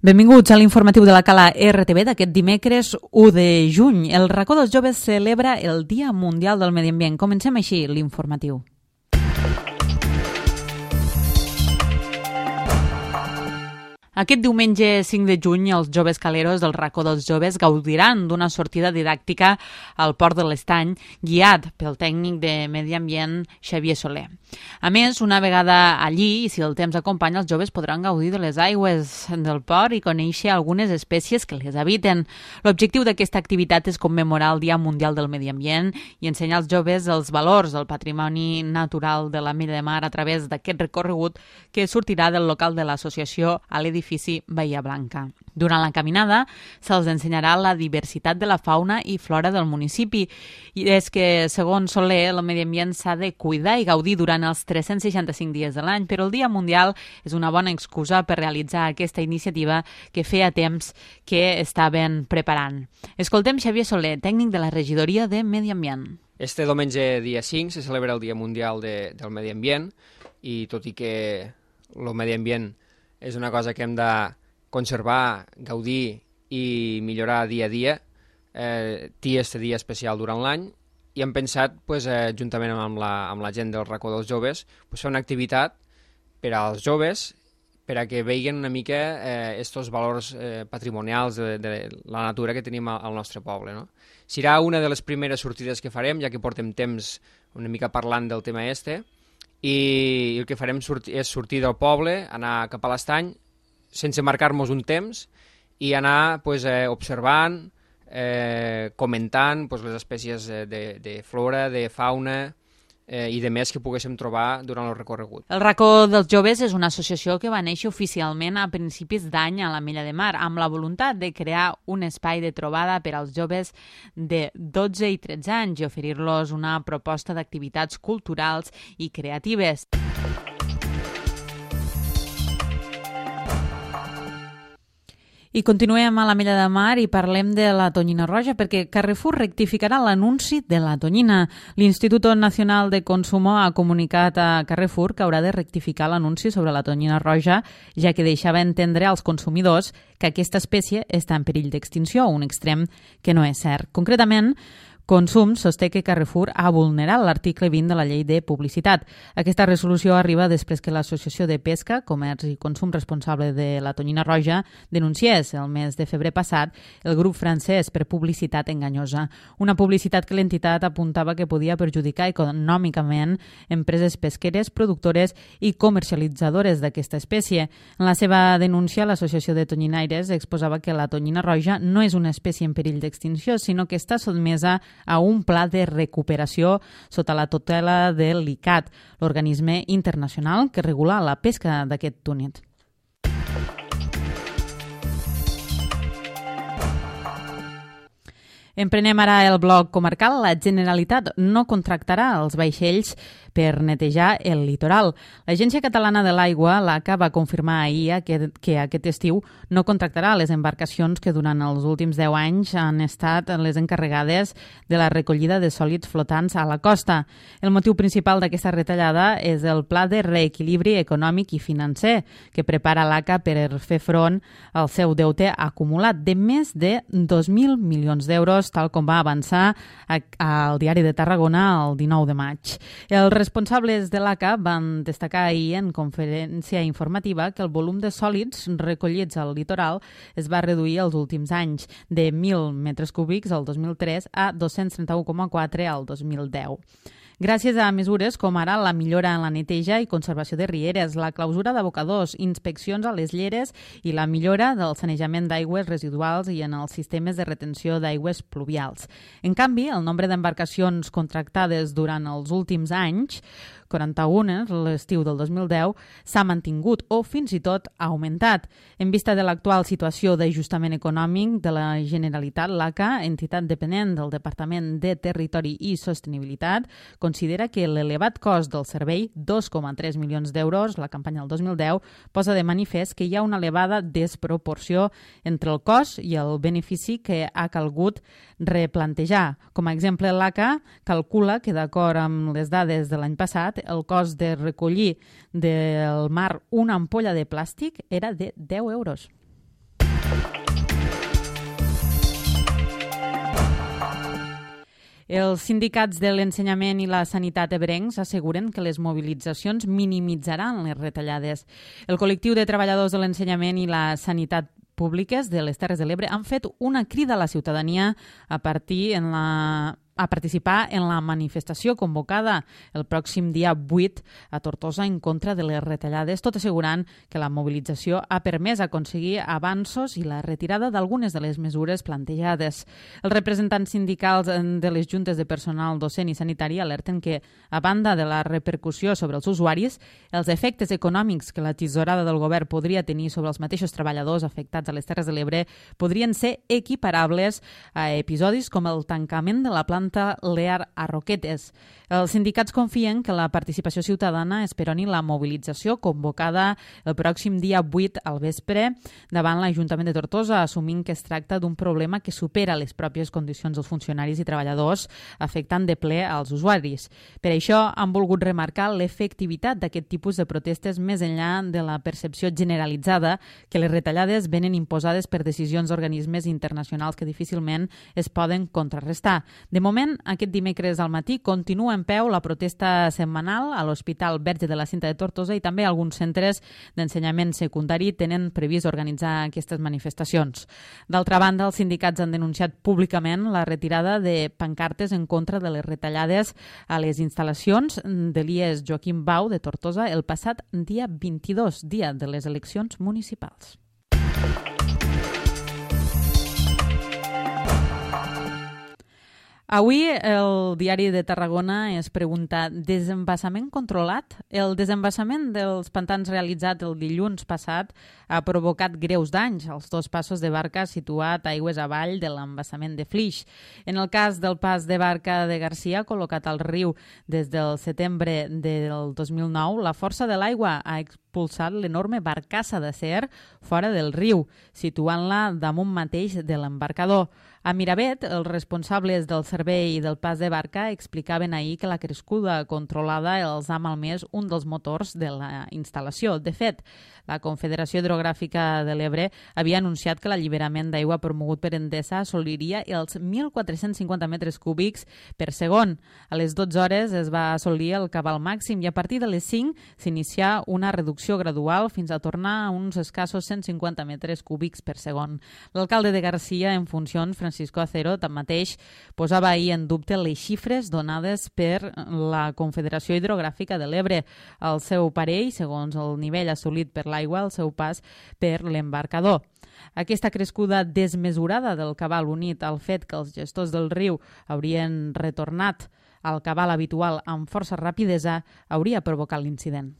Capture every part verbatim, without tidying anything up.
Benvinguts a l'informatiu de la Cala R T V d'aquest dimecres u de juny. El racó dels joves celebra el Dia Mundial del Medi Ambient. Comencem així l'informatiu. Aquest diumenge cinc de juny, els joves caleros del racó dels joves gaudiran d'una sortida didàctica al Port de l'Estany, guiat pel tècnic de Medi Ambient Xavier Soler. A més, una vegada allí, i si el temps acompanya, els joves podran gaudir de les aigües del port i conèixer algunes espècies que les habiten. L'objectiu d'aquesta activitat és commemorar el Dia Mundial del Medi Ambient i ensenyar als joves els valors del patrimoni natural de la Mella de Mar a través d'aquest recorregut que sortirà del local de l'associació a l'edifici Bahia Blanca. Durant la caminada se'ls ensenyarà la diversitat de la fauna i flora del municipi. I és que, segons Soler, el medi ambient s'ha de cuidar i gaudir durant els tres-cents seixanta-cinc dies de l'any, però el Dia Mundial és una bona excusa per realitzar aquesta iniciativa que feia temps que estaven preparant. Escoltem Xavier Soler, tècnic de la regidoria de Medi Ambient. Este diumenge dia cinc se celebra el Dia Mundial de, del Medi Ambient i tot i que el medi ambient és una cosa que hem de conservar, gaudir i millorar dia a dia, eh, té aquest dia especial durant l'any i hem pensat, pues, eh, juntament amb la, amb la gent del racó dels joves, pues, fer una activitat per als joves per a que vegin una mica aquests eh, valors eh, patrimonials de, de la natura que tenim al, al nostre poble, no? Serà una de les primeres sortides que farem, ja que portem temps una mica parlant del tema este, i el que farem sortir, és sortir del poble, anar cap a l'estany, sense marcar-nos un temps, i anar pues, eh, observant, eh, comentant pues, les espècies de, de flora, de fauna eh, i de més que poguéssim trobar durant el recorregut. El racó dels joves és una associació que va néixer oficialment a principis d'any a la Mella de Mar, amb la voluntat de crear un espai de trobada per als joves de dotze i tretze anys i oferir-los una proposta d'activitats culturals i creatives. I continuem a la Mella de Mar i parlem de la tonyina roja perquè Carrefour rectificarà l'anunci de la tonyina. L'Instituto Nacional de Consumo ha comunicat a Carrefour que haurà de rectificar l'anunci sobre la tonyina roja, ja que deixava entendre als consumidors que aquesta espècie està en perill d'extinció, un extrem que no és cert. Concretament, Consum sosté que Carrefour ha vulnerat l'article vint de la llei de publicitat. Aquesta resolució arriba després que l'Associació de Pesca, Comerç i Consum responsable de la tonyina roja denunciés el mes de febrer passat el grup francès per publicitat enganyosa. Una publicitat que l'entitat apuntava que podia perjudicar econòmicament empreses pesqueres, productores i comercialitzadores d'aquesta espècie. En la seva denúncia, l'Associació de Tonyinaires exposava que la tonyina roja no és una espècie en perill d'extinció, sinó que està sotmesa a un pla de recuperació sota la tutela de l'I C A T, l'organisme internacional que regula la pesca d'aquest túnid. Emprenem ara el bloc comarcal. La Generalitat no contractarà els vaixells per netejar el litoral. L'Agència Catalana de l'Aigua, l'A C A, va confirmar ahir que, que aquest estiu no contractarà les embarcacions que durant els últims deu anys han estat les encarregades de la recollida de sòlids flotants a la costa. El motiu principal d'aquesta retallada és el Pla de Reequilibri Econòmic i Financer que prepara l'A C A per fer front al seu deute acumulat de més de dos mil milions d'euros, tal com va avançar al Diari de Tarragona el dinou de maig. Els responsables de l'A C A van destacar ahir en conferència informativa que el volum de sòlids recollits al litoral es va reduir els últims anys, de mil metres cúbics el dos mil tres a dos-cents trenta-u coma quatre al dos mil deu. Gràcies a mesures com ara la millora en la neteja i conservació de rieres, la clausura d'abocadors, inspeccions a les lleres i la millora del sanejament d'aigües residuals i en els sistemes de retenció d'aigües pluvials. En canvi, el nombre d'embarcacions contractades durant els últims anys, quaranta-una, l'estiu del dos mil deu, s'ha mantingut o fins i tot ha augmentat. En vista de l'actual situació d'ajustament econòmic de la Generalitat, l'A C A, entitat dependent del Departament de Territori i Sostenibilitat, considera que l'elevat cost del servei, dos coma tres milions d'euros, la campanya del dos mil deu, posa de manifest que hi ha una elevada desproporció entre el cost i el benefici que ha calgut replantejar. Com a exemple, l'A C A calcula que, d'acord amb les dades de l'any passat, el cost de recollir del mar una ampolla de plàstic era de deu euros. Els sindicats de l'ensenyament i la sanitat ebrencs asseguren que les mobilitzacions minimitzaran les retallades. El col·lectiu de treballadors de l'ensenyament i la sanitat públiques de les Terres de l'Ebre han fet una crida a la ciutadania a partir en la a participar en la manifestació convocada el pròxim dia vuit a Tortosa en contra de les retallades, tot assegurant que la mobilització ha permès aconseguir avanços i la retirada d'algunes de les mesures plantejades. Els representants sindicals de les juntes de personal docent i sanitari alerten que, a banda de la repercussió sobre els usuaris, els efectes econòmics que la tisorada del govern podria tenir sobre els mateixos treballadors afectats a les Terres de l'Ebre podrien ser equiparables a episodis com el tancament de la planta Lear a Roquetes. Els sindicats confien que la participació ciutadana esperoni la mobilització convocada el pròxim dia vuit al vespre davant l'Ajuntament de Tortosa, assumint que es tracta d'un problema que supera les pròpies condicions dels funcionaris i treballadors, afectant de ple als usuaris. Per això han volgut remarcar l'efectivitat d'aquest tipus de protestes més enllà de la percepció generalitzada que les retallades venen imposades per decisions d'organismes internacionals que difícilment es poden contrarrestar. De moment, aquest dimecres al matí continua en peu la protesta setmanal a l'Hospital Verge de la Cinta de Tortosa i també alguns centres d'ensenyament secundari tenen previst organitzar aquestes manifestacions. D'altra banda, els sindicats han denunciat públicament la retirada de pancartes en contra de les retallades a les instal·lacions de l'I E S Joaquim Bau de Tortosa el passat dia vint-i-dos, dia de les eleccions municipals. Avui el Diari de Tarragona es pregunta: desembassament controlat? El desembassament dels pantans realitzat el dilluns passat ha provocat greus danys als dos passos de barca situat aigües avall de l'embassament de Flix. En el cas del pas de barca de Garcia, col·locat al riu des del setembre del dos mil nou, la força de l'aigua ha expulsat l'enorme barcassa d'acer fora del riu, situant-la damunt mateix de l'embarcador. A Miravet, els responsables del servei del pas de barca explicaven ahir que la crescuda controlada els ha malmès un dels motors de la instal·lació. De fet, la Confederació Hidrogràfica de l'Ebre havia anunciat que l'alliberament d'aigua promogut per Endesa assoliria els mil quatre-cents cinquanta metres cúbics per segon. A les dotze hores es va assolir el cabal màxim i a partir de les cinc s'inicià una reducció gradual fins a tornar a uns escassos cent cinquanta metres cúbics per segon. L'alcalde de Garcia, en funcions, Francisco Acero, tanmateix, posava ahir en dubte les xifres donades per la Confederació Hidrogràfica de l'Ebre. El seu parell, segons el nivell assolit per l'aigua, el seu pas per l'embarcador. Aquesta crescuda desmesurada del cabal, unit al fet que els gestors del riu haurien retornat al cabal habitual amb força rapidesa, hauria provocat l'incident.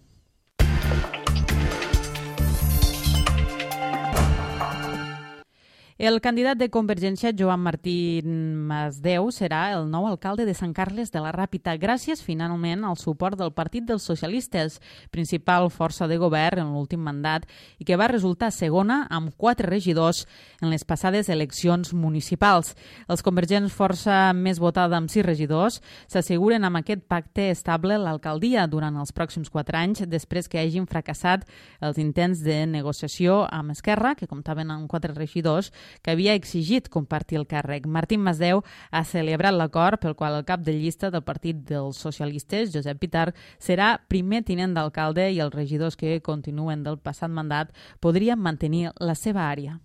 El candidat de Convergència, Joan Martín Masdeu, serà el nou alcalde de Sant Carles de la Ràpita, gràcies finalment al suport del Partit dels Socialistes, principal força de govern en l'últim mandat i que va resultar segona amb quatre regidors en les passades eleccions municipals. Els convergents, força més votada amb sis regidors, s'asseguren amb aquest pacte estable l'alcaldia durant els pròxims quatre anys després que hagin fracassat els intents de negociació amb Esquerra, que comptaven amb quatre regidors, que havia exigit compartir el càrrec. Martín Masdeu ha celebrat l'acord pel qual el cap de llista del Partit dels Socialistes, Josep Pitar, serà primer tinent d'alcalde i els regidors que continuen del passat mandat podrien mantenir la seva àrea.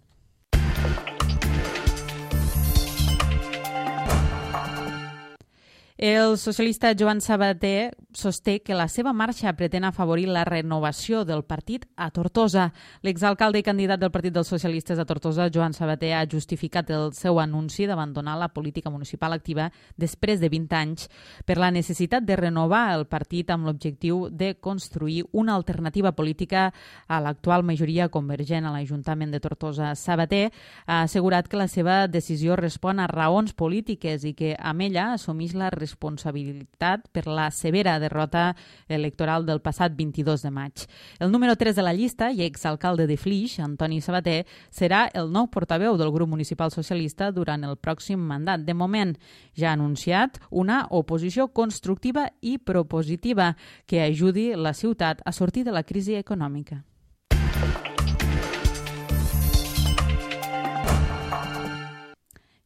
El socialista Joan Sabater sosté que la seva marxa pretén afavorir la renovació del partit a Tortosa. L'exalcalde i candidat del Partit dels Socialistes a Tortosa, Joan Sabater, ha justificat el seu anunci d'abandonar la política municipal activa després de vint anys per la necessitat de renovar el partit amb l'objectiu de construir una alternativa política a l'actual majoria convergent a l'Ajuntament de Tortosa. Sabater ha assegurat que la seva decisió respon a raons polítiques i que amb ella assumeix la responsabilitat responsabilitat per la severa derrota electoral del passat vint-i-dos de maig. El número tres de la llista i exalcalde de Flix, Antoni Sabater, serà el nou portaveu del grup municipal socialista durant el pròxim mandat. De moment, ja ha anunciat una oposició constructiva i propositiva que ajudi la ciutat a sortir de la crisi econòmica.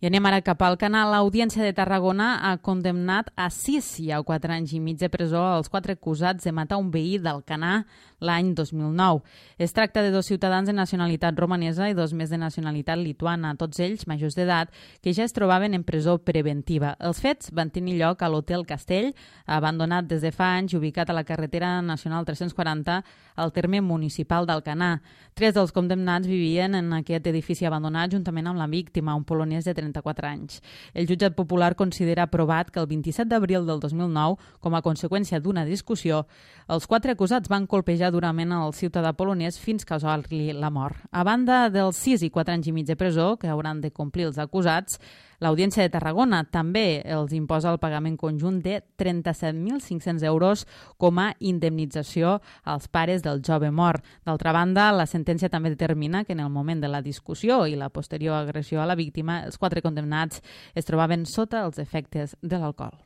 I anem ara cap al canal. L'Audiència de Tarragona ha condemnat a sis i a quatre anys i mig de presó els quatre acusats de matar un veí d'Alcanar l'any dos mil nou. Es tracta de dos ciutadans de nacionalitat romanesa i dos més de nacionalitat lituana, tots ells majors d'edat, que ja es trobaven en presó preventiva. Els fets van tenir lloc a l'Hotel Castell, abandonat des de fa anys i ubicat a la carretera nacional tres-cents quaranta al terme municipal d'Alcanar. Tres dels condemnats vivien en aquest edifici abandonat juntament amb la víctima, un polonès de trenta-quatre anys. El jutjat popular considera aprovat que el vint-i-set d'abril del dos mil nou, com a conseqüència d'una discussió, els quatre acusats van colpejar durament el ciutadà polonès fins causar-li la mort. A banda dels sis i quatre anys i mig de presó que hauran de complir els acusats, l'Audiència de Tarragona també els imposa el pagament conjunt de trenta-set mil cinc-cents euros com a indemnització als pares del jove mort. D'altra banda, la sentència també determina que en el moment de la discussió i la posterior agressió a la víctima, els quatre condemnats es trobaven sota els efectes de l'alcohol.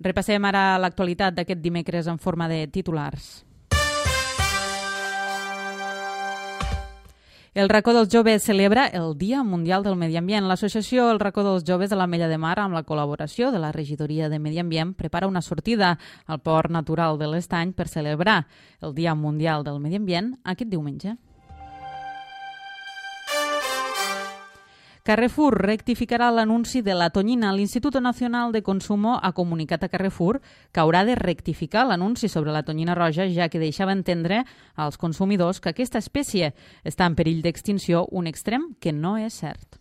Repassem ara l'actualitat d'aquest dimecres en forma de titulars. El Racó dels Joves celebra el Dia Mundial del Medi Ambient. L'associació El Racó dels Joves de l'Ametlla de Mar, amb la col·laboració de la Regidoria de Medi Ambient, prepara una sortida al Port Natural de l'Estany per celebrar el Dia Mundial del Medi Ambient aquest diumenge. Carrefour rectificarà l'anunci de la tonyina. L'Instituto Nacional de Consumo ha comunicat a Carrefour que haurà de rectificar l'anunci sobre la tonyina roja, ja que deixava entendre als consumidors que aquesta espècie està en perill d'extinció, un extrem que no és cert.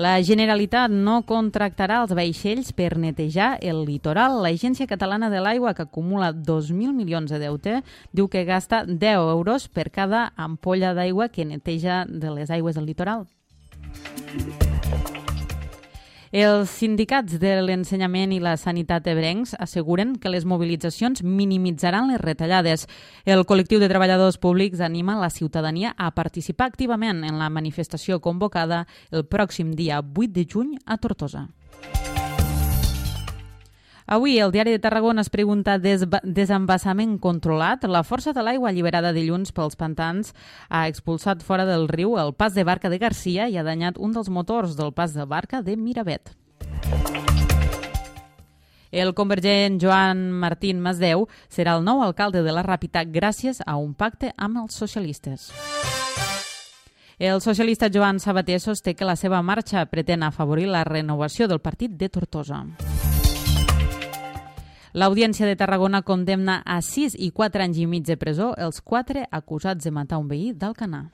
La Generalitat no contractarà els vaixells per netejar el litoral. L'Agència Catalana de l'Aigua, que acumula dos mil milions de deute, diu que gasta deu euros per cada ampolla d'aigua que neteja de les aigües del litoral. Els sindicats de l'ensenyament i la sanitat ebrencs asseguren que les mobilitzacions minimitzaran les retallades. El col·lectiu de treballadors públics anima la ciutadania a participar activament en la manifestació convocada el pròxim dia vuit de juny a Tortosa. Avui, el Diari de Tarragona es pregunta desembassament controlat. La força de l'aigua alliberada dilluns pels pantans ha expulsat fora del riu el pas de barca de Garcia i ha danyat un dels motors del pas de barca de Miravet. El convergent Joan Martín Masdeu serà el nou alcalde de la Ràpita gràcies a un pacte amb els socialistes. El socialista Joan Sabater sosté que la seva marxa pretén afavorir la renovació del partit de Tortosa. L'Audiència de Tarragona condemna a sis i quatre anys i mig de presó els quatre acusats de matar un veí d'Alcanar.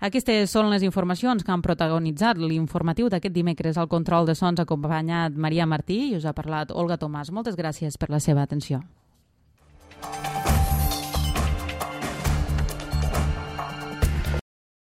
Aquestes són les informacions que han protagonitzat l'informatiu d'aquest dimecres. Al control de sons ha acompanyat Maria Martí i us ha parlat Olga Tomàs. Moltes gràcies per la seva atenció.